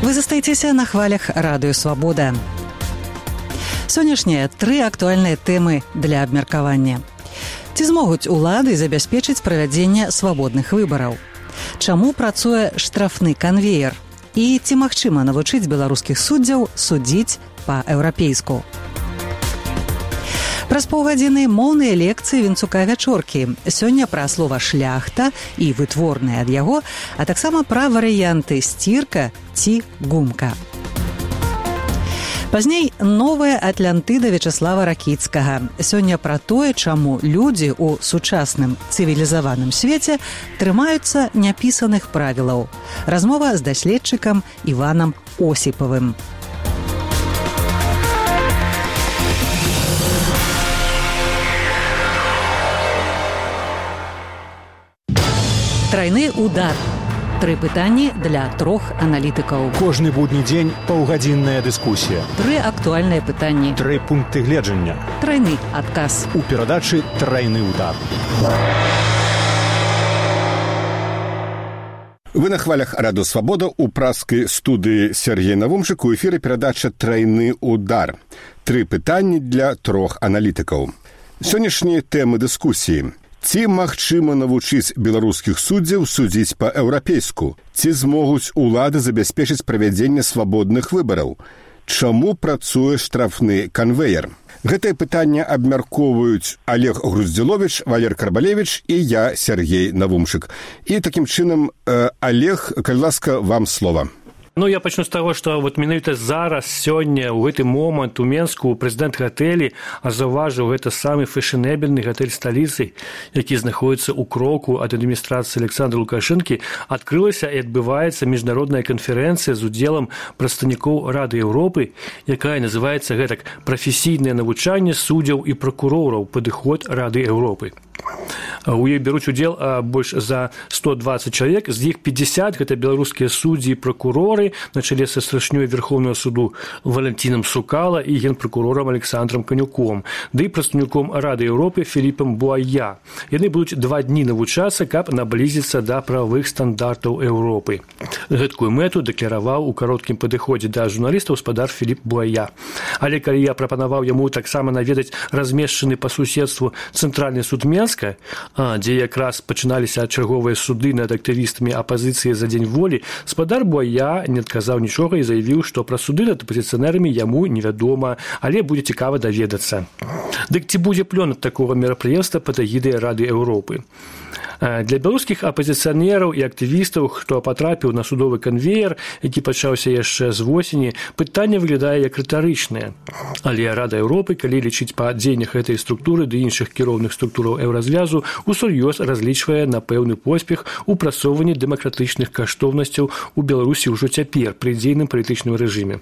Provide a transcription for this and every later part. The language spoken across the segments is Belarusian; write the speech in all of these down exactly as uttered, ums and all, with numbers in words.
Вы застаецеся на хвалях Радыё Свабода. Сённяшнія тры актуальныя тэмы для абмеркавання. Ці змогуць улады забяспечыць правядзенне свабодных выбараў? Чаму працуе штрафны канвеер? І ці магчыма навучыць беларускіх суддзяў судзіць па-еўрапейску? Праз паўгадзіны моўныя лекцыі Вінцука Вячоркі. Сёння пра слова «шляхта» і вытворныя ад яго, а таксама пра варыянты «сцірка» ці «гумка». Пазней новая Атлантыда Вячаслава Ракіцкага. Сёння пра тое, чаму людзі ў сучасным цывілізаваным свеце трымаюцца няпісаных правілаў. Размова з даследчыкам Іванам Осіпавым. Трайны удар. Тры пытанні для трох аналітыкаў. Кожны будні дзень паўгадзінная дыскусія. Тры актуальныя пытанні. Тры пункты гледжання. Трайны адказ. У перадачы «Трайны удар». Вы на хвалях Радыё Свабода. У праскай студыі Сергей Навумчык. У эфіры перадача «Трайны удар». Тры пытанні для трох аналітыкаў. Сённяшнія тэмы дыскусіі. Ці магчыма навучыць беларускіх суддзяў судзіць па-еўрапейску? Ці змогуць улады забяспечыць правядзенне свабодных выбараў? Чаму працуе штрафны канвеер? Гэтае пытанне абмяркоўваюць Олег Груздзіловіч, Валер Карбалевіч і я, Сергей Навумчык. І такім чынам, э, Олег, калі ласка, вам слова. Ну, я пачну з таго, што вот менавіта зараз, сёння, у гэты момант у Менску прэзідэнт гатэлі заўважыў гэта самы фэшанэбельны гатэль сталіцы, які знаходіцца ў кроку ад адміністрацыі Александра Лукашэнкі. Адкрылася і адбываецца міжнародная канферэнцыя з удзелам прадстаўнікоў Рады Еўропы, якая называецца гэтак «Прафесійнае навучанне суддзяў і пракурораў. Падыход Рады Еўропы». У ёй бяруць удзел больш за сто дваццаць чалавек, з іх пятьдесят гэта беларускія суддзі і пракуроры на чале са старшынёй Верховнага суду Валентинам Сукала і генпракурорам Александром Канюком, ды і прадстаўніком Рады Еўропы Філіпам Буая. Яны будуць два дні навучацца, каб наблізіцца да правовых стандартаў Еўропы. Гэткую мэту дэкляраваў у кароткім падыходзе да журналістаў спадар Філіп Буая. Але калі я прапанаваў яму таксама наведаць размешчаны па суседству цэнтральны суд Менска, дзе якраз пачыналіся чарговыя суды над актывістамі апазіцыі за дзень волі, спадар Буая не адказаў нічога і заявіў, што пра суды над апазіцыянерамі яму невядома, але будзе цікава даведацца. Дык ці будзе плён ад такога мерапрыемства пад эгідай Рады Еўропы? Для беларускіх апазіцыянераў і актывістаў, хто патрапіў на судовы канвеер, які пачаўся яшчэ з восені, пытанне выглядае як рытарычнае. Але Рада Еўропы, калі лічыць па дзеяннях гэтай структуры ды іншых кіроўных структураў еўразвязу, усур'ёз разлічвае на пэўны поспех у прасоўванні дэмакратычных каштоўнасцяў у Беларусі ўжо цяпер пры дзейным палітычным рэжыме.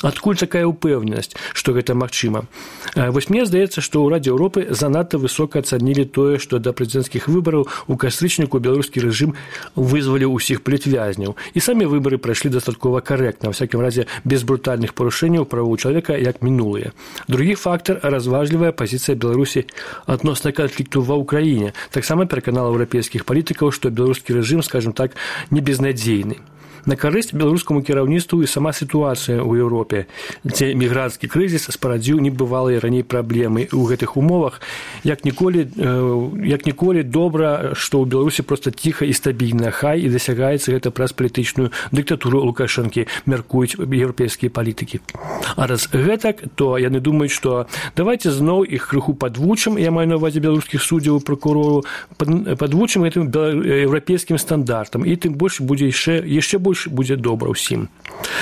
Адкуль такая ўпэўненасць, што гэта магчыма? Вось мне здаецца, што ў Радзе Еўропы занадта высока ацанілі тое, што да прэзідэнцкіх выбараў у кастрычніку беларускі рэжым вызваліў усіх палітвязняў. І самі выбары прайшлі дастаткова карэктна, ва всякім разе без брутальных парушэнняў правоў чалавека, як мінулыя. Другі фактар – разважлівая пазіцыя Беларусі адносна канфлікту ва ўкраіне. Таксама пераканала еўрапейскіх палітыкаў, што беларускі рэжым, скажем так, не безнадзейны. На карысць беларускаму кіраўніцтву і сама сітуацыя ў Еўропе, дзе мігранцкі крызіс спарадзіў небывалыя раней праблемы. У гэтых умовах як ніколі, як ніколі добра, што ў Беларусі проста ціха і стабільна, хай і дасягаецца гэта праз палітычную дыктатуру Лукашэнкі, мяркуюць еўрапейскія палітыкі. А раз гэтак, то яны думаюць, што давайце зноў іх крыху падвучым, я маю на ўвазе беларускіх суддзяў і пракурораў, падвучым гэтым еўрапейскім стандартам, і тым больш будзе яшчэ, яшчэ больш будзе добра ўсім.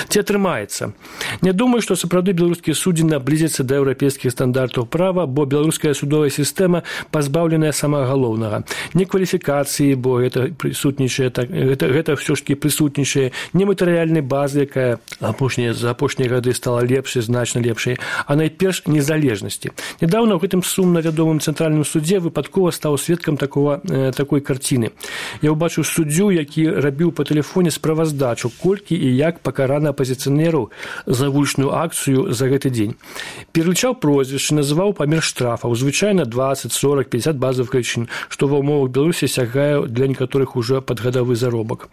Ці атрымаецца? Не думаю, што сапраўды беларускія суддзі наблізяцца да еўрапейскіх стандартаў права, бо беларуская судовая сістэма пазбаўленая самага галоўнага. Не кваліфікацыі, бо гэта прысутнічае, так, гэта, гэта ўсё ж такі прысутнічае, не матэрыяльнай базы, якая апошнія, за апошнія гады стала лепшай, значна лепшай, а найперш незалежнасці. Нядаўна ў гэтым сумна вядомым цэнтральным судзе выпадкова стаў сведкам такого, э, такой карціны. Я ўбачыў суддзю, які рабіў па тэлефоне справаздачу, колькі і як пакараны плана апозіцыянераў за вулічную акцыю за гэты дзень. Пералічаў прозвішчы, называў памер штрафаў, звычайна дваццаць, сорок, пятьдесят базовых велічин, што ва ўмовах Беларусі сягае для некаторых уже падгадавы заробак.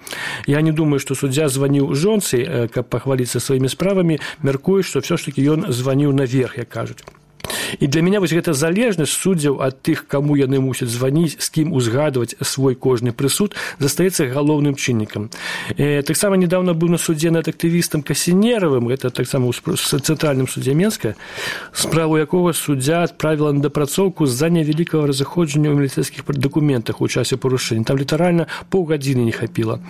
Я не думаю, што суддзя званіў жонцы, каб пахваліцца сваімі справамі, мяркую, што все ж таки ён званіў наверх, як кажуць. І для мяне вось гэта залежнасць суддзяў ад тых, каму яны мусяць званіць, з кім узгадваць свой кожны прысуд, застаецца галоўным чыннікам. Э, таксама недавно быў на судзе над актывістам Касінеравым, гэта таксама ў цэнтральным судзе Менска, справу якога суддзя адправіла на дапрацоўку з-за невялікага разыходжання ў міліцэйскіх дакументах у часе парушэння. Там літаральна паўгадзіны не хапіла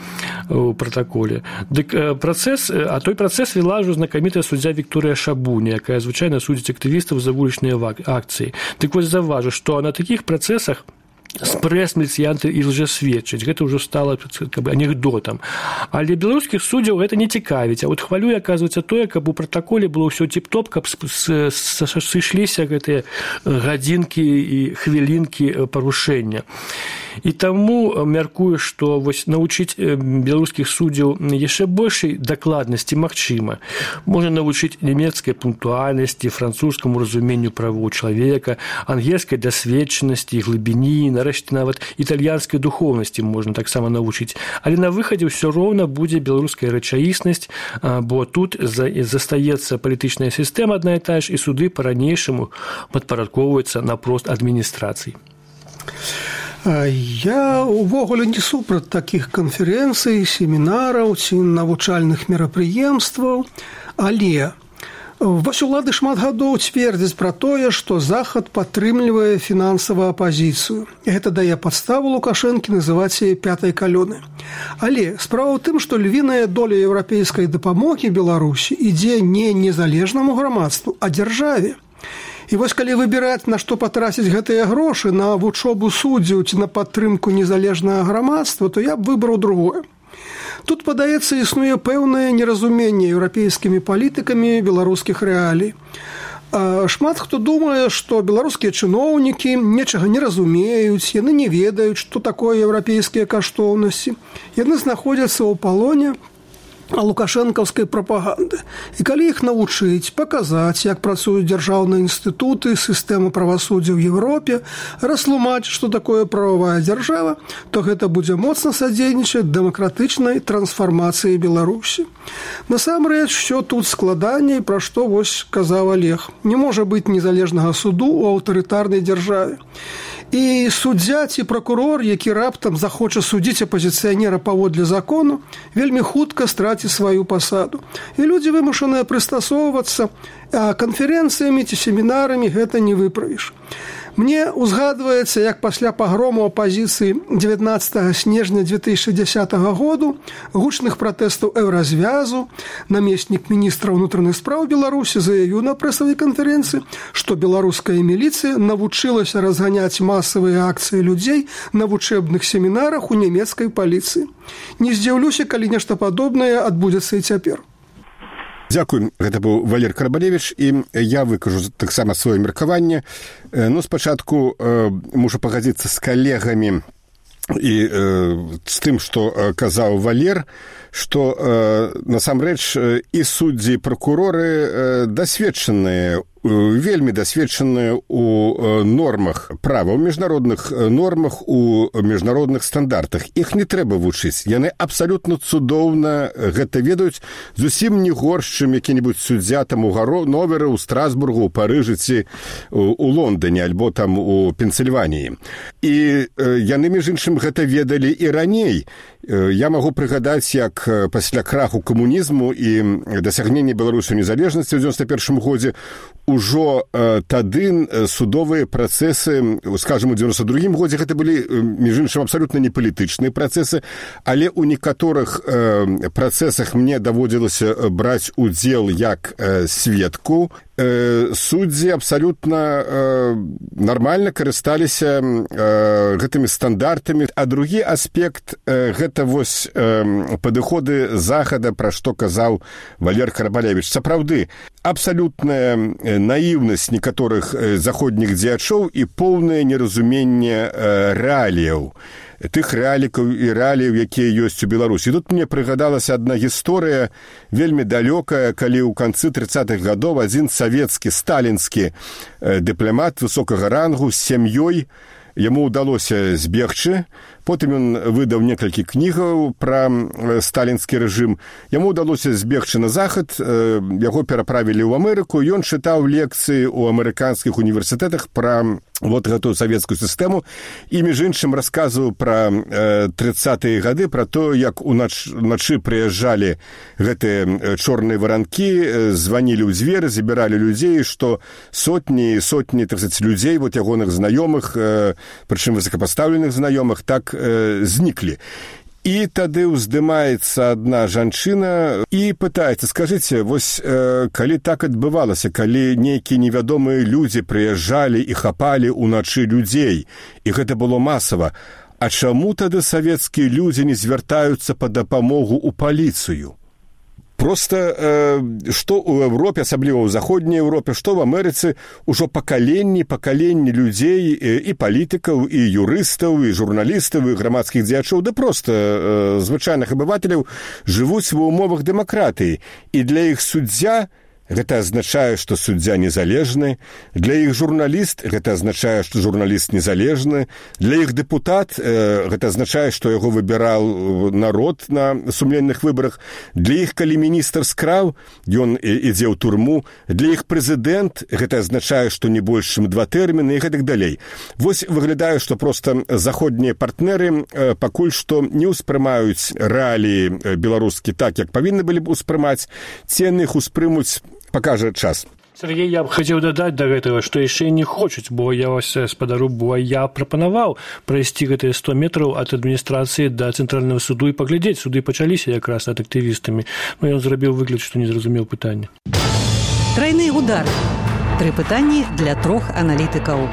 ў пратаколе. Дык э, працэс, а той працэс вела ўжо знакамітая суддзя Вікторыя Шабуня, якая звычайна судзіць актывістаў за вулічныя акцыі. Так вось заўважу, што на такіх працэсах спрэс міліцыянты і лжэсведчаць. Гэта ўжо стала как бы анекдотам. Але беларускіх суддзяў гэта не цікавіць. А вот хвалюе, аказваецца, тое, каб у пратаколе было ўсё тип-топ, каб сышліся гэтыя гадзінкі і хвілінкі парушэння. І таму мяркую, што вось навучыць беларускіх суддзяў яшчэ большай дакладнасці магчыма. Можна навучыць нямецкай пунктуальнасці, французскаму разуменню правоў чалавека, ангельскай дасведчанасці, глыбіні, нарэшце нават італьянскай духоўнасці можна таксама навучыць. Але на выхадзе ўсё роўна будзе беларуская рэчаіснасць, бо тут застаецца палітычная сістэма адна і тая ж, і суды па-ранейшаму падпарадкоўваюцца напрост адміністрацый. Я увогуле не супраць такіх канферэнцый, семінараў ці навучальных мерапрыемстваў, але вось улады шмат гадоў цвердзяць пра тое, што Захад падтрымлівае фінансавую апазіцыю. Гэта дае падставу Лукашэнкі называць яе пятай калёнай. Але справа ў тым, што львіная доля еўрапейскай дапамогі Беларусі ідзе не незалежнаму грамадству, а дзяржаве. І вось калі выбіраць, на што патраціць гэтыя грошы, на вучобу суддзяў ці на падтрымку незалежнага грамадства, то я б выбраў другое. Тут, падаецца, існуе пэўнае неразуменне еўрапейскімі палітыкамі беларускіх рэалій. Шмат хто думае, што беларускія чыноўнікі нечага не разумеюць, яны не ведаюць, што такое еўрапейскія каштоўнасці. Яны знаходзяцца ў палоне лукашэнкаўскай прапаганды. І калі іх навучыць, паказаць, як працуюць дзяржаўныя інстытуты, сістэма правасуддзя ў Европе, растлумачыць, што такое прававая дзяржава, то гэта будзе моцна садзейнічаць дэмакратычнай трансфармацыі Беларусі. Насамрэч, що тут складаней, пра што вось казаў Олег. Не можа быць незалежнага суду ў аўтарытарнай дзяржаве. І суддзя ці пракурор, які раптам захоча судзіць апазіцыянера паводле закону, вельмі хутка страціць сваю пасаду. І людзі вымушаныя прыстасоўвацца, а канферэнцыямі ці семінарамі гэта не выправіш. Мне узгадваецца, як пасля пагрому апазіцыі дзевятнаццатага снежня дзве тысячы дзесятага году, гучных пратэстаў еўразвязу, намеснік міністра ўнутраных спраў Беларусі заявіў на прэсавай канферэнцыі, што беларуская міліцыя навучылася разганяць масавыя акцыі людзей на вучэбных семінарах у нямецкай паліцыі. Не здзіўлюся, калі нешта падобнае адбудзецца і цяпер. Дзякуй, гэта быў Валер Карабалевіч, і я выкажу таксама сваё меркаванне. Ну, спачатку э, мушу пагадзіцца з калегамі і э, з тым, што э, казаў Валер, што э, насамрэч э, і суддзі, і пракуроры э, дасведчаныя, вельмі дасведчаныя ў нормах права, ў міжнародных нормах, у міжнародных стандартах. Іх не трэба вучыць. Яны абсалютна цудоўна гэта ведаюць, зусім не горш, чым які-небудзь суддзя там у Ганновері, у Страсбургу, у Парыжы ці у Лондоне, альбо там у Пенсільваніі. І яны, між іншым, гэта ведалі і раней. Я магу прыгадаць, як пасля краху камунізму і дасягнення Беларусі незалежнасці ў дзевяносто першым годзе ужо э, тады судовыя працэсы, скажем, у дзевяносто другім годзе гэта былі, між іншым, абсалютна не палітычныя працэсы, але ў некаторых э, працэсах мне даводзілася браць удзел як э, сведку. Э, суддзі абсалютна э, нармальна карысталіся э, гэтымі стандартамі. А другі аспект э, гэта вось э, падыходы Захада, пра што казаў Валер Карабалевіч. Сапраўды, абсалютная наіўнасць некаторых заходніх дзеячоў і поўнае неразуменне э, рэаліяў. тых рэалікаў і рэаліяў, якія ёсць у Беларусі. Тут мне прыгадалася адна гісторыя вельмі далёкая, калі ў канцы трыццатых гадоў адзін савецкі сталінскі дыпламат высокага рангу з сям'ёй, яму ўдалося збегчы, потым ён выдаў некалькі кнігаў пра сталінскі рэжым. Яму ўдалося збегчы на захад, яго пераправілі ў Амерыку, ён чытаў лекцыі ў амерыканскіх універсітэтах пра вот гэтую савецкую сістэму і, між іншым, расказваў пра трыццатыя гады, пра то, як уначы прыязджалі гэтыя чорныя варанкі, званілі ў дзверы, забіралі людзей, што сотні, сотні, так сказаць, людзей, вот ягоных знаёмых, прычым высокапастаўленых знаёмых, так э, зніклі. І тады ўздымаецца адна жанчына і пытаецца, скажыце, вось э, калі так адбывалася, калі нейкія невядомыя людзі прыязджалі і хапалі ўначы людзей, і гэта было масава, а чаму тады савецкія людзі не звяртаюцца па дапамогу ў паліцыю? Просто э, што ў Европе, асабліва ў заходняй Европе, што ў Амерыцы, ужо пакаленні, пакаленні людзей і, і палітыкаў, і юрыстаў, і журналістаў, і грамадскіх дзеячоў, да проста э, звычайных абывателяў жывуць ва ўмовах дэмакратыі. І для іх суддзя гэта азначае, што суддзя незалежны, для іх журналіст гэта азначае, што журналіст незалежны, для іх дэпутат э, гэта азначае, што яго выбіраў народ на сумленных выбарах, для іх, калі міністр скраў, ён ідзе ў турму, для іх прэзідэнт гэта азначае, што не больш чым два тэрміны і гэтак далей. Вось выглядае, што проста заходнія партнеры э, пакуль што не ўспрымаюць рэаліі беларускі так, як павінны былі б успрымаць, ці яны іх успрымуць, пакажа час. Сергей, я б хацеў дадаць да гэтага, што яшчэ не хочуць, бо я вас спадару, бо я прапанаваў прайсці гэтыя сто метраў ад адміністрацыі да цэнтральнага суду і паглядзець. Суды пачаліся якраз над актывістамі. Ну, ён зрабіў выгляд, што не зразумеў пытання. Трайны удар. Тры пытанні для трох аналітыкаў.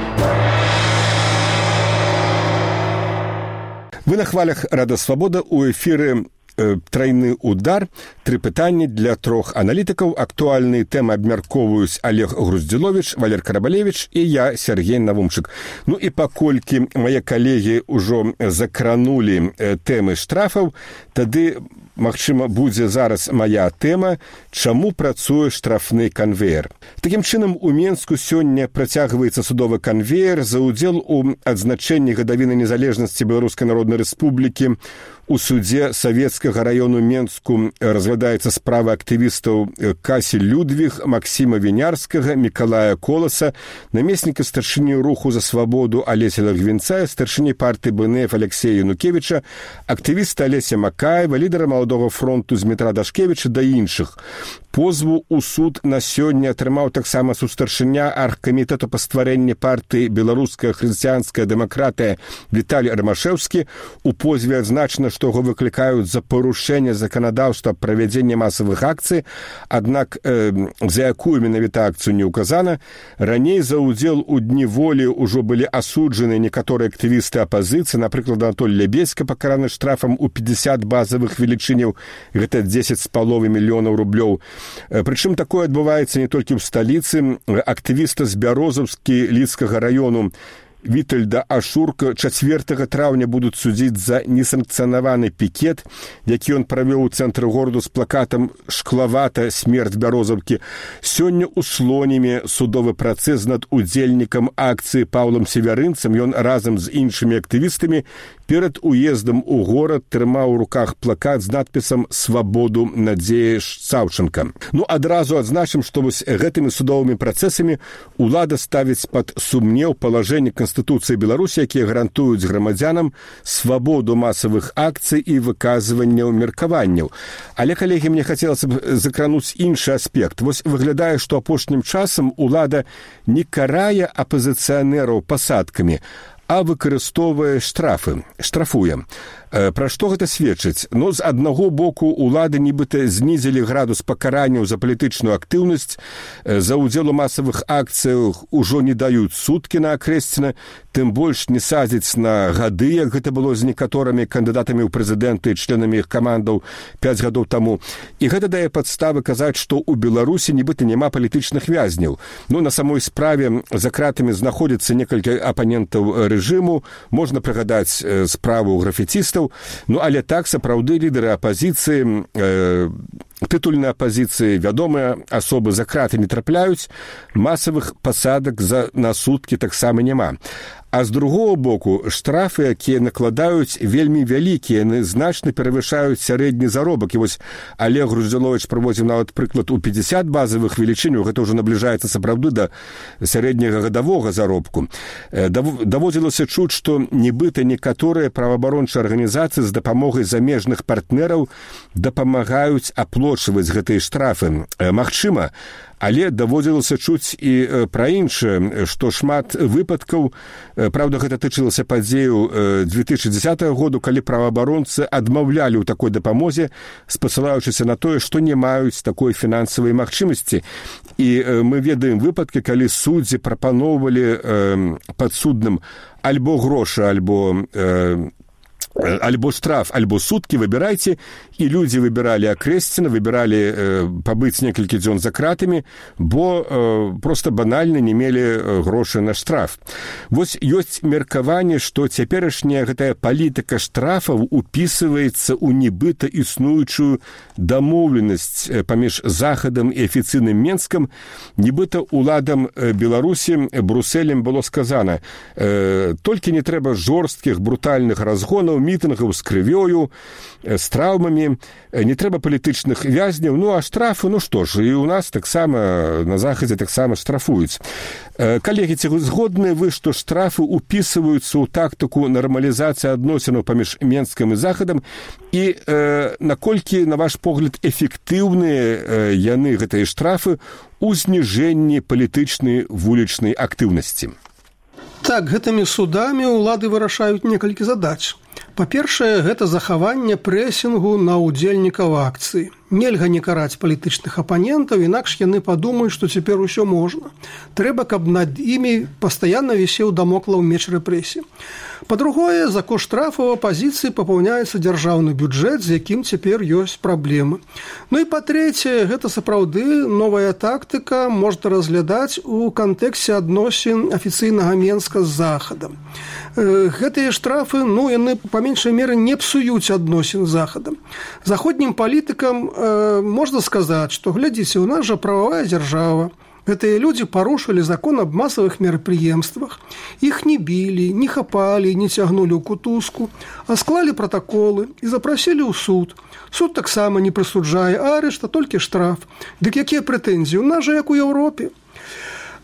Вы на хвалях Рада Свабода, у эфіры «Трайны удар». Тры пытанні для трох аналітыкаў. Актуальныя тэмы абмяркоўваюць Олег Груздзіловіч, Валер Карабалевіч і я, Сергей Навумчык. Ну і паколькі мае калегі ўжо закранулі тэмы штрафаў, тады, магчыма, будзе зараз мая тэма «Чаму працуе штрафны канвеер?». Такім чынам, у Менску сёння працягваецца судовы канвеер за ўдзел у адзначэнні гадавіны незалежнасці Беларускай Народнай Рэспублікі. У судзе Савецкага раёну Менску разглядаецца справа актывістаў Касі Людвіг, Максіма Вінярскага, Мікалая Коласа, намесніка старшыні руху за свабоду Алеся Лагвінца, старшыні партыі БНФ Алексея Янукевіча, актывіста Алеся Макаева, лідара Маладога фронту Змітра Дашкевіча да іншых. Позву ў суд на сёння атрымаў таксама сустаршыня аргкамітэту па стварэнні партыі «Беларуская хрысціянская дэмакратыя» Віталій Рамашэўскі. У позве адзначана, што яго выклікаюць за парушэнне заканадаўства правядзення масавых акцый, аднак э, за якую менавіта акцыю не ўказана. Раней за ўдзел у дні волі ўжо былі асуджаны некаторыя актывісты апазіцыі, напрыклад, Анатоль Лябеська пакараны штрафам у пятьдесят базавых велічыняў, гэта дзесяць з паловай мільёнаў рублёў. Прычым такое адбываецца не толькі ў сталіцы. Актывіста з Бярозаўскі Лідскага раёну Вітальда Ашурка чацвёртага траўня будуць судзіць за несанкцыянаваны пікет, які ён правёў у цэнтры гораду з плакатам «Шклавата смерць Бярозаўкі». Сёння ў Слонімі судовы працэс над удзельнікам акцыі Паўлам Севярынцам. Ён разам з іншымі актывістамі перад уездам у горад трымаў у руках плакат з надпісам «Свабоду Надзея Саўчанка». Ну, адразу адзначым, што вось гэтымі судовымі працэсамі ўлада ставіць пад сумнеў палажэнне Канстытуцыі Беларусі, якія гарантуюць грамадзянам свабоду масавых акцый і выказванняў меркаванняў. Але, калегі, мне хацелася б закрануць іншы аспект. Вось выглядае, што апошнім часам улада не карае апазіцыянераў пасадкамі, а выкарыстоўвае штрафы, штрафуе. Пра што гэта сведчыць? Ну, з аднаго боку, улады нібыта знізілі градус пакаранняў за палітычную актыўнасць, за ўдзел у масавых акцыях ужо не даюць суткі на акрэсціна, тым больш не садзяць на гады, як гэта было з некаторымі кандыдатамі ў прэзідэнты і членамі іх камандаў пяць гадоў таму. І гэта дае падставы казаць, што ў Беларусі нібыта няма палітычных вязняў. Ну, на самой справе за кратамі знаходзіцца некалькі апанентаў рэжыму, рэжыму, можна прыгадаць справу графіцістаў, ну але так сапраўды лідары апазіцыі, э, тытульнай апазіцыі, вядомыя асобы за краты не трапляюць, масавых пасадак за, на суткі таксама няма. А з другого боку, штрафы, якія накладаюць, вельмі вялікія, яны значна перавышаюць сярэдні заробак. І вось Олег Груздзіловіч прыводзіў нават прыклад у пятьдесят базавых велічынь, гэта ўжо набліжаецца сапраўды да сярэдняга гадавога заробку. Даводзілася чуць, што нібыта некаторыя праваабарончыя арганізацыі з дапамогай замежных партнераў дапамагаюць аплочваць гэтыя штрафы. Магчыма, але даводзілася чуць і пра іншае, што шмат выпадкаў, правда, гэта тычылася падзею две тысячи дзесятого году, калі праваабаронцы адмаўлялі ў такой дапамозе, спасылаючыся на тое, што не маюць такой фінансавай магчымасці. І мы ведаем выпадкі, калі суддзі прапаноўвалі падсудным альбо грошы, альбо альбо штраф, альбо суткі, выбірайце, і людзі выбіралі акрэсціна, выбіралі э, пабыць некалькі дзён за кратамі, бо э, проста банальна не мелі грошы на штраф. Вось ёсць меркаванне, што цяперашняя гэтая палітыка штрафаў упісваецца ў нібыта існуючую дамоўленасць паміж Захадам і афіцыйным Менскам, нібыта уладам Беларусі Брусэлем было сказана, э, толькі не трэба жорсткіх брутальных разгонаў, мітынгаў з крывёю, з траўмамі, не трэба палітычных вязняў, ну а штрафы, ну што ж, і ў нас таксама, на Захадзе таксама штрафуюць. Калегі, ці згодныя вы, што штрафы упісваюцца ў тактыку нармалізацыі адносінаў паміж Менскам і Захадам, і э, наколькі, на ваш погляд, эфектыўныя э, яны, гэтыя штрафы, у зніжэнні палітычнай вулічнай актыўнасці? Так, гэтымі судамі ўлады вырашаюць некалькі задач. Па-першае, гэта захаванне прэсінгу на ўдзельнікаў акцыі. Нельга не караць палітычных апанентаў, інакш яны падумаюць, што цяпер усё можна. Трэба, каб над імі пастаянна вісеў дамоклаў меч рэпрэсій. Па-другое, за кошт штрафаў апазіцыі папаўняецца дзяржаўны бюджэт, з якім цяпер ёсць праблемы. Ну і па-трэцяе, гэта сапраўды новая тактыка можна разглядаць у кантэксце адносін афіцыйнага Менска з Захадам. Гэтыя штрафы, ну, яны па меншай меры не псуюць адносін з Захадам. Заходнім палітыкам э, можна сказаць, што, глядзіце, у нас жа прававая дзяржава. Гэтыя людзі парушылі закон аб масавых мерапрыемствах. Іх не білі, не хапалі, не цягнулі ў кутузку, а склалі пратаколы і запрасілі ў суд. Суд таксама не прысуджае арышт, а толькі штраф. Дык якія прэтэнзіі? У нас жа як у Еўропе.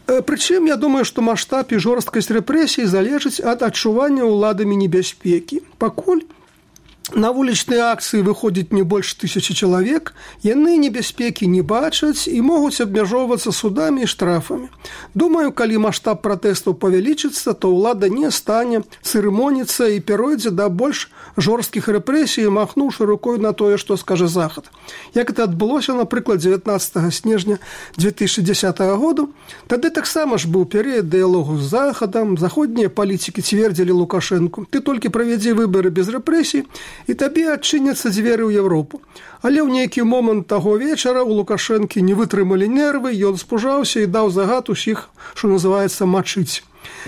Прычым, я думаю, што маштаб і жорсткасць рэпрэсій залежыць ад адчування ўладамі небяспекі. Пакуль на вулічныя акцыі выходзіць не больш тысячы чалавек, яны небяспекі не бачаць і могуць абмяжоўвацца судамі і штрафамі. Думаю, калі маштаб пратэстаў павялічыцца, то ўлада не стане цырымоніцца і перайдзе да больш жорсткіх рэпрэсій, махнуўшы рукой на тое, што скажа Захад. Як гэта адбылося, напрыклад, дзевятнаццатага снежня две тысячи дзесятого году, тады таксама ж быў перыяд дыялогу з Захадам, заходнія палітыкі цвердзілі Лукашэнку: ты толькі правядзі выбары без рэпрэсій, і табе адчыняцца дзверы ў Еўропу. Але ў нейкі момант таго вечара у Лукашэнкі не вытрымалі нервы, ён спужаўся і даў загад усіх, што называецца, мачыць,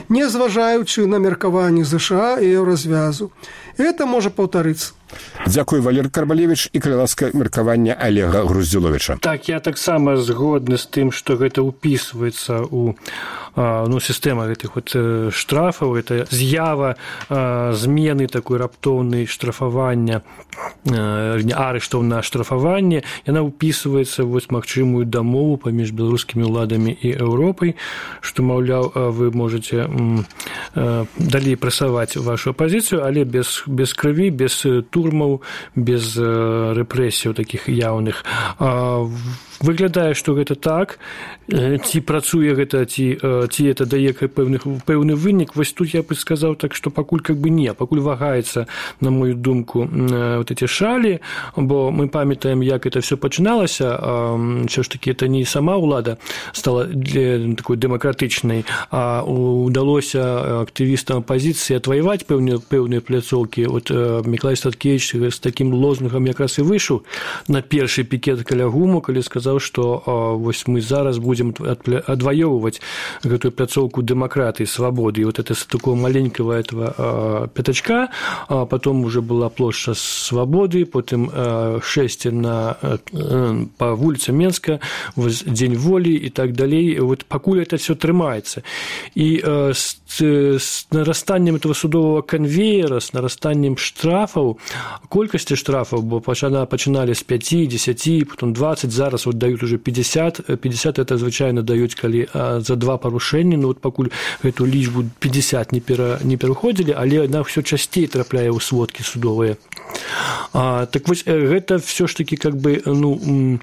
не зважаючы на меркаванні ЗША і еўразвязу. І гэта можа паўтарыцца. Дзякуй, Валерый Карбалевич, і калі ласка, меркаванне Олега Груздзіловіча. Так, я таксама згодны з тым, што гэта ўпісваецца ў ну, сістэма гэтых вот штрафаў, это з'ява змены такой раптоўнай штрафавання, арыштаў на штрафаванне, яна ўпісваецца вось магчымую дамову паміж беларускімі ўладамі і Еўропай, што, маўляў, вы можаце далей прасаваць вашу апазіцыю, але без, без крыві, без турмаў, без рэпрэсіяў такіх яўных. Выглядае, што гэта так, ці працуе гэта, ці, ці это дае пэўны, пэўны вынік. Вось тут я бы сказаў так, што пакуль как бы не, пакуль вагаецца, на мою думку, вот эти шалі, бо мы памятаем, як это все пачыналася, ўсё ж таки это не сама ўлада стала такой дэмакратычнай, а удалося актывістам апазіцыі атваяваць пэўныя, пэўныя пляцоўкі. Вот Мікалай Статкевіч з такім лозунгам якраз і выйшаў на першы пікет каля ГУМу, калі сказаў, сказаў, што вось мы зараз будзем адваёўваць гэтую пляцоўку дэмакратыі, свабоды. І вот это с такого маленького этого пятачка, а потом уже была плошча свабоды, потым шэсце на по вуліцам Менска, вось дзень волі і так далей. Вот пакуль это все трымаецца. І с, с нарастаннем этого судового конвейера, с нарастаннем штрафаў, колькасці штрафаў, бо пачыналі з пяці, дзесяці, потом дваццаць, зараз вот даюць уже пятьдесят, пятьдесят это звычайна даюць, калі за два парушэнні, ну вот пакуль гэту лічбу пятьдесят не, пера, не пераходзілі, але яна ўсё часцей трапляе ў сводкі судовыя. А, так вось гэта все ж таки как бы ну,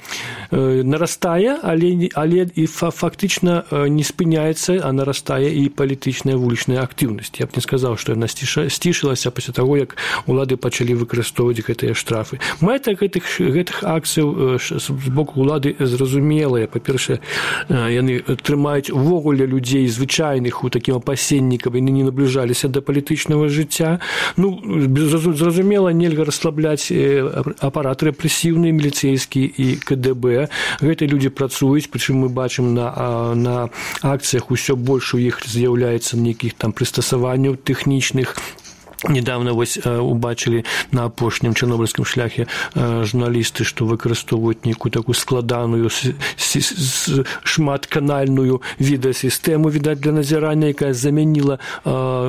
нарастае, але, але і фактычна не спыняецца, а нарастае і палітычная вулічная актыўнасць. Я б не сказаў, што яна сцішылася пасля таго, як улады пачалі выкарыстоўваць гэтыя штрафы. Мэта гэтых, гэтых акцыяў з боку улады зразумелая. Па-першае, яны трымаюць увогуле людзей звычайных у такім апасенні, каб яны не набліжаліся да палітычнага жыцця. Ну, зразумела, нельга расслабляць апарат рэпрэсіўны, міліцэйскі і ка дэ бэ. Гэтыя людзі працуюць, прычым мы бачым на, на акцыях усё больш у іх з'яўляецца нейкіх там прыстасаванняў тэхнічных. Недавно вось убачылі на апошнім чарнобыльскім шляхе журналісты, што выкарыстоўваюць нейкую такую складаную шматканальную відэасістэму, відаць, для назірання, якая замяніла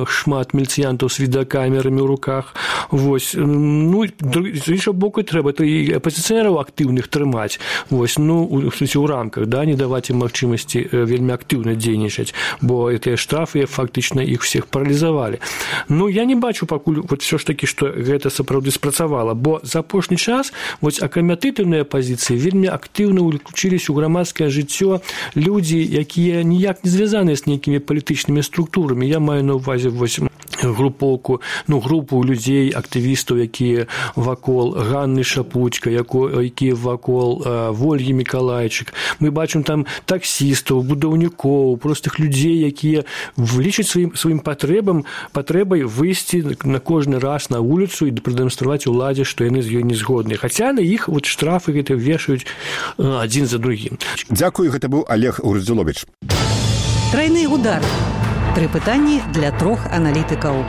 шмат міліцыянтаў з відэакамерамі ў руках. Вось. Ну, з іншага боку, трэба і апазіцыянераў актыўных трымаць. Вось. Ну, у, у рамках, да, не даваць ім магчымасці вельмі актыўна дзейнічаць, бо гэтыя штрафы фактычна іх всех паралізавалі. Ну, я не бачу пакуль вот все ж таки, што гэта сапраўды спрацавала, бо за апошні час вось акрамя тытульнай апазіцыі вельмі актыўна ўключыліся ў грамадскае жыццё людзі, якія ніяк не звязаныя з нейкімі палітычнымі структурамі. Я маю на ўвазе вось групоўку, ну, групу людзей, актывістаў, якія вакол Ганны Шапуцька, якія вакол Вольгі Мікалайчык. Мы бачым там таксістаў, будаўнікоў, простых людзей, якія лічаць сваім, сваім патрэбам, патрэбай выйсці на кожны раз на вуліцу і прадэманстраваць уладзе, што яны з ёй не згодныя. Хаця на іх вот штрафы гэта вешаюць адзін за другім. Дзякую, гэта быў Олег Гурдзюловіч. Трайны удар. Тры пытанні для трох аналітыкаў.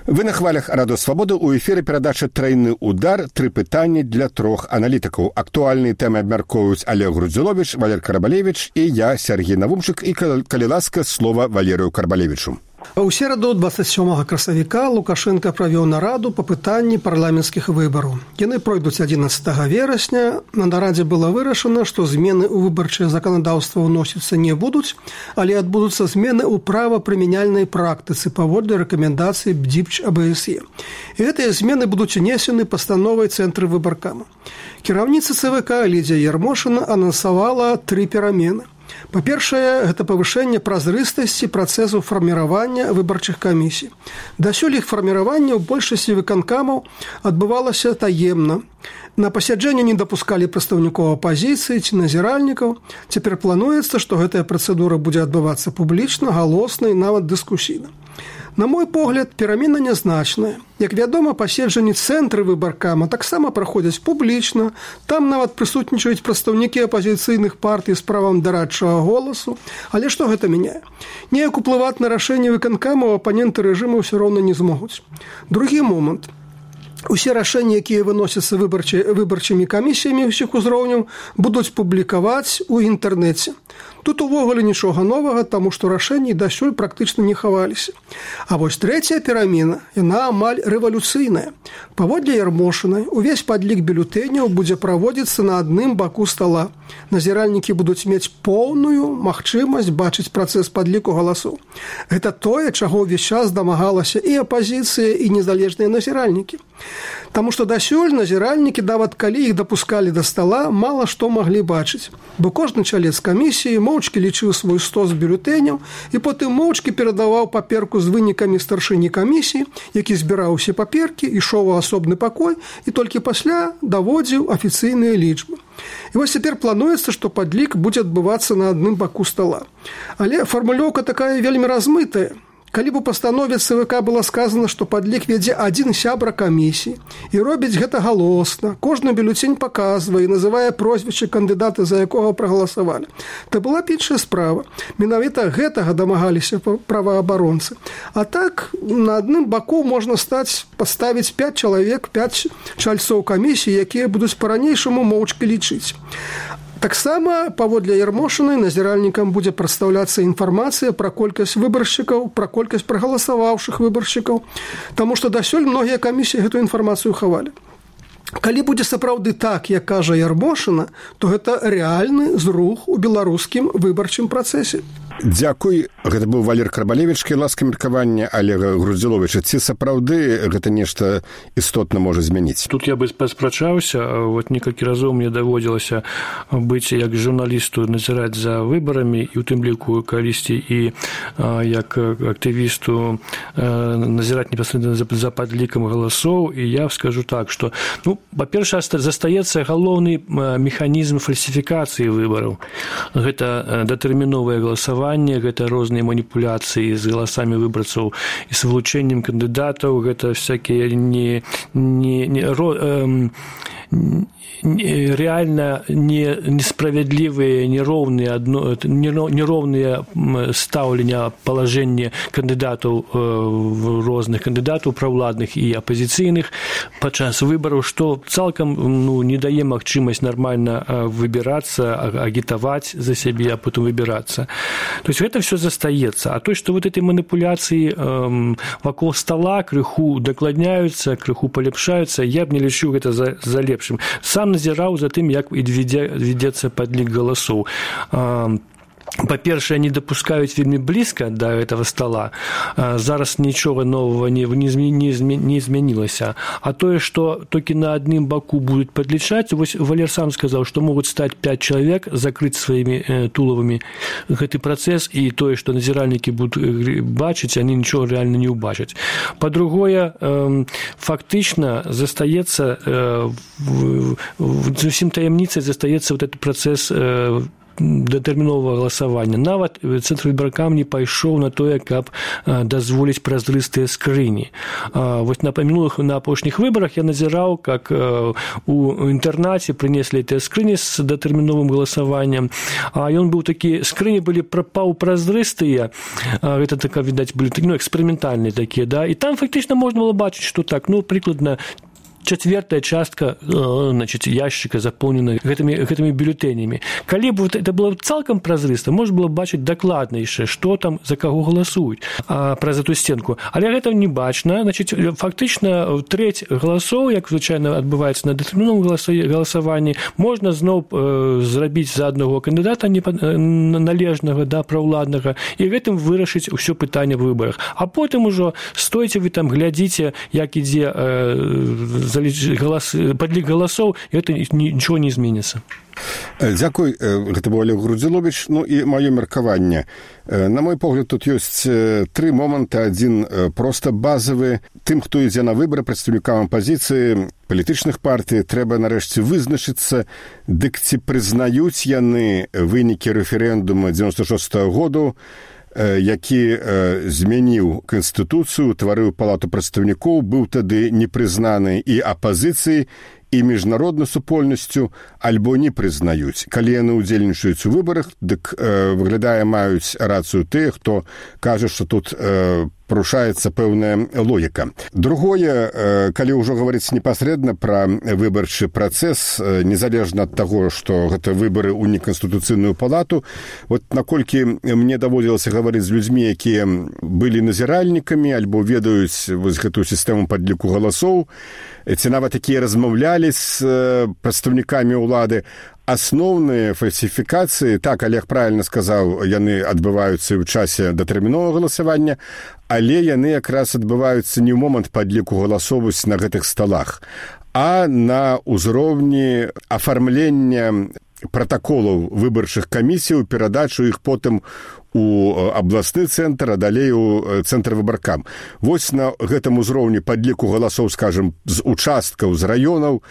Вы на хвалях Радыё Свабода, у эфіры перадача «Трайны удар». Тры пытанні для трох аналітыкаў. Актуальныя тэмы абмяркоўваюць Олег Гурдзюловіч, Валер Карбалевіч і я, Сергей Навумчык, і, калі ласка, слова Валерыю Карбалевічу. У сераду двадцать сёмага красавіка Лукашенко правёў нараду па пытанні парламенцкіх выбараў. Яны пройдуць адзінаццатага верасня. На нарадзе было вырашана, што змены ў выбарчае заканадаўства ўносіцца не будуць, але адбудуцца змены ў правапрымяняльнай практыцы паводле рэкамендацый БДІПЧ А Б С Е. І гэтыя змены будуць унесены пастановай цэнтры выбаркама. Кіраўніца Цэ Вэ Ка Лідзія Ярмошына анансавала тры перамены. Па-першае, гэта павышэнне празрыстасці працэсу фарміравання выбарчых камісій. Дасюль іх фарміраванне ў большасці выканкамаў адбывалася таемна. На пасяджэнне не дапускалі прадстаўнікоў апазіцыі ці назіральнікаў. Цяпер плануецца, што гэтая працэдура будзе адбывацца публічна, галосна і нават дыскусійна. На мой погляд, перамена нязначная. Як вядома, паседжанні цэнтры выбаркама таксама праходзяць публічна. Там нават прысутнічаюць прадстаўнікі апазіцыйных партый з правам дарадчага голасу. Але што гэта мяняе? Неяк уплываць на рашэнне выканкамаў апаненты рэжыму ўсё роўна не змогуць. Другі момант. Усе рашэнні, якія выносяцца выбарчымі камісіямі ўсіх узроўняў, будуць публікаваць у інтэрнэце. Тут увогуле нічога новага, таму што рашэнні дасюль практычна не хаваліся. А вось трэцяя перамена, яна амаль рэвалюцыйная. Паводле Ярмошынай, увесь падлік бюлетэняў будзе праводзіцца на адным баку стала. Назіральнікі будуць мець поўную магчымасць бачыць працэс падліку галасоў. Гэта тое, чаго ўвесь час дамагалася і апазіцыя, і незалежныя назіральнікі. Таму што дасюль назіральнікі, нават калі іх дапускалі да стала, мала што маглі бачыць. Бо кожны чалец камісіі моўчкі лічыў свой стос бюлетэняў і потым моўчкі перадаваў паперку з вынікамі старшыні камісіі, які збіраў усе паперкі, ішоў у асобны пакой і толькі пасля даводзіў афіцыйныя лічбы. І вось цяпер плануецца, што падлік будзе адбывацца на адным баку стала. Але фармулёўка такая вельмі размытая. калі б у пастанове ЦВК было сказано, што падлік вядзе адзін сябра камісіі і робіць гэта галосна, кожны бюлетень паказвае і называе прозвішча кандыдата, за якога прагаласавалі, то была б іншая справа. Менавіта гэтага дамагаліся праваабаронцы. А так, на адным баку можна стаць, паставіць пяць чалавек, пяць чальцоў камісіі, якія будуць па-ранейшаму моўчкі лічыць. Таксама, паводле Ярмошынай, назіральнікам будзе прадстаўляцца інфармацыя пра колькасць выбаршчыкаў, пра колькасць прагаласаваўшых выбаршчыкаў, таму што дасюль многія камісіі гэтую інфармацыю хавалі. Калі будзе сапраўды так, як кажа Ярмошына, то гэта рэальны зрух у беларускім выбарчым працэсе. Дзякуй. Гэта быў Валер Карбалевіч, ласка меркавання Олега Груздзіловіча. Ці сапраўды гэта нешта істотна можа змяніць? Тут я бы паспрачаўся. Вот некалькі разоў мне даводзілася быць як журналісту назіраць за выбарамі, і ў тым ліку калісьці і як актывісту назіраць непасрэдна за падлікам галасоў. І я скажу так, што, ну, па-першае, застаецца галоўны механізм фальсіфікацыі выбараў. Гэта датэрміновае галасаванне, гэта розныя маніпуляцыі з галасамі выбарцаў і з вылучэннем кандыдатаў, гэта всякія не, не, не, ро, эм, реально не, несправедливые, неровные, одно, неровные ставлення положення кандидатів, різних кандидатів, правладних і опозиційних під час виборів, що цілком, ну, не дає можливість нормально вибиратися, агітувати за себе, а потім вибиратися. Тобто, це все застається. А то, що вот эти манипуляції эм, вокруг стола криху докладняються, криху полепшаються, я б не лічу це за, за лепшим. Сам назіраў за тым, як вядзецца падлік галасоў. Па-першае, не дапускаюць вельмі блізка да гэтага стола. Зараз нічога новага не, не, не, не змянілася. А тое, што толькі на адным баку будуць падлічаць, вось Валер сам сказаў, што могуць стаць пяць чалавек, закрыць сваімі тулавамі гэты працэс, і тое, што назіральнікі будуць бачыць, они нічога рэальна не ўбачаць. Па-другое, фактычна застаецца, зусім таямніцай застаецца вот этот працэс датэрміновага галасавання. Нават Цэнтрвыбаркам не пайшоў на тое, каб дазволіць празрыстыя скрыні. Вось на мінулых, на апошніх выбарах я назіраў, как у інтэрнаце прынеслі гэтыя скрыні з датэрміновым галасаваннем, а ён быў такі, скрыні былі паўпразрыстыя, гэта така, відаць, былі, ну, эксперыментальныя такія, да, і там фактычна можна было бачыць, што так, ну, прыкладна четвертая частка, значит, ящика заполнена гэтымі, гэтымі бюлетэнямі. Калі б это было цалкам празрыста, можна было бачыць дакладна яшчэ, што там, за каго галасуюць а, праз эту стенку. Але гэта не бачна. Значит, фактычна трэць галасоў, як звычайна адбываецца на датэрміновым галасаванні, можна зноў э, зрабіць за аднаго кандыдата належнага, да, праўладнага, і гэтым вырашыць усё пытанне в выбарах. А потым ужо стойце вы там, глядзіце, як ідзе э, Голос, падлік галасоў, гэта нічого не зменіцца. Дзякуй, гэта быў Олег Груздзіловіч. Ну і маё меркаванне. На мой погляд, тут ёсць тры моманты. Адзін проста базавы. Тым, хто ідзе на выбары, прадстаўнікам апазіцыі, палітычных партый, трэба нарэшце вызначыцца, дык ці прызнаюць яны вынікі рэферэндума дзевяносто шостага году, які змяніў Канстытуцыю, утварыў палату прадстаўнікоў, быў тады непрызнаны і апазіцыяй, і міжнароднай супольнасцю, альбо не прызнаюць. Калі яны ўдзельнічаюць у выбарах, дык э, выглядае, маюць рацыю тыя, хто кажа, што тут э, парушаецца пэўная логіка. Другое, э, калі ўжо гаварыць непасрэдна пра выбарчы працэс, э, незалежна ад таго, што гэта выбары ў неканстытуцыйную палату, вот наколькі мне даводзілася гаварыць з людзьмі, якія былі назіральнікамі, альбо ведаюць вось гэтую сістэму падліку галасоў, ці нават такія размаўлялі з прадстаўнікамі ўлады, асноўныя фальсіфікацыі, так, Олег правильна сказаў, яны адбываюцца ў часе датэрміновага галасавання, але яны якраз адбываюцца не ў момант падліку галасовасць на гэтых сталах, а на ўзроўні афармлення пратаколаў выбарчых камісій, перадачу іх потым у абласны цэнтр, а далей у цэнтр выбаркам. Вось на гэтым узроўні падліку галасоў, скажем, з участкаў, з раёнаў,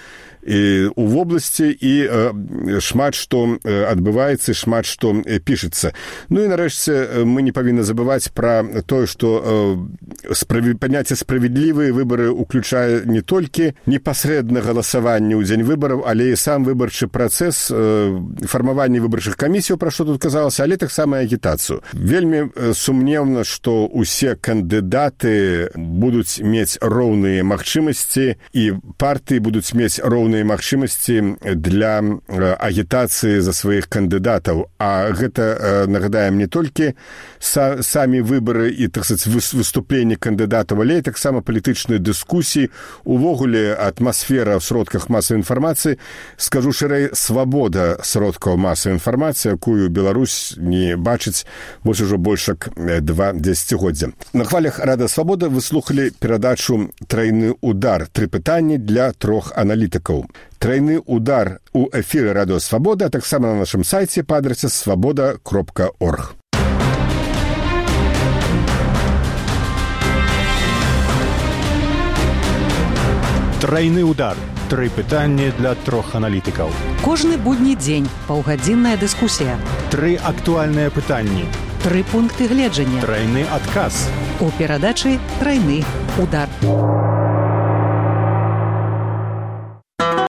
і у вобласці і э, шмат што адбываецца, шмат што пішацца. Ну і нарэшце мы не павінны забываць пра тое, што э, справ... паняцце справядлівыя выбары ўключае не толькі непасрэдна галасаванне ў дзень выбараў, але і сам выбарчы працэс, э, фармаванне выбарчых камісій, пра што тут казалася, але таксама агітацыю. Вельмі сумнеўна, што ўсе кандыдаты будуць мець роўныя магчымасці і партыі будуць мець роўныя магчымасці для агітацыі за сваіх кандыдатаў. А гэта, нагадаем, не толькі са, самі выбары і, так сказаць, выступленні кандыдатаў, але і таксама палітычныя дыскусіі, увогуле атмасфера ў сродках масавай інфармацыі, скажу шырэй, свабода сродкаў масавай інфармацыі, якую Беларусь не бачыць вось ужо больш як два дзесяцігоддзя. На хвалях Рада Свабода вы слухалі перадачу «Трайны удар». Тры пытанні для трох аналітыкаў. «Трайны удар» у эфіры Радыё Свабода, а таксама на нашым сайце па адрасе свабода кропка орг. Трайны удар. Тры пытанні для трох аналітыкаў. Кожны будні дзень паўгадзінная дыскусія. Тры актуальныя пытанні. Тры пункты гледжання. Трайны адказ. У перадачы «Трайны удар».